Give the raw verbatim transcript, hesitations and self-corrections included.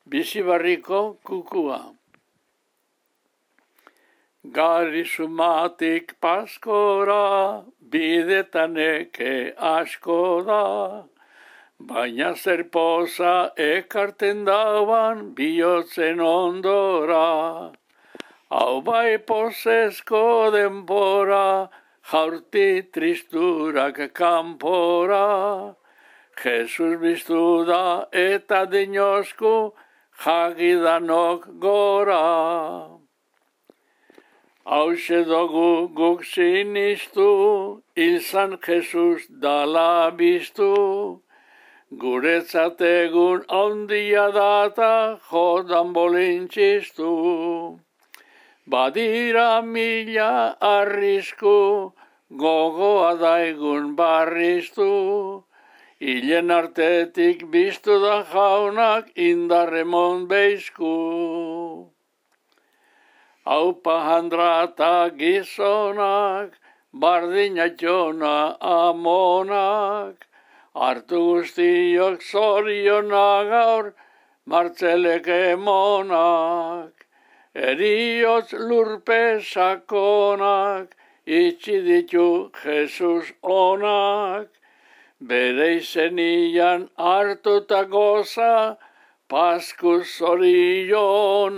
Bizibarriko kukua. Gari sumatik paskora, bidetan eke asko da, baina zer poza ekarten dauan bihotzen ondora. Hau bai pozezko denbora, jaurti tristurak kanpora. Jesus biztu da eta dinosku jagidanok gora. Hauxe dugu guk sinistu, izan Jesus dala biztu. Guretzat egun handia data jodan bolintxistu. Badira mila arrisku, gogoa daigun barriztu. Hilen artetik biztu da jaunak indarremon beizku. Aupa handrata gizonak, bardinatxona amonak, hartu guztiok zorionak gaur, martzelek emonak. Eriotz lurpe sakonak, itxi ditu Jesus onak, bere izenian hartuta goza, pasku zorionak.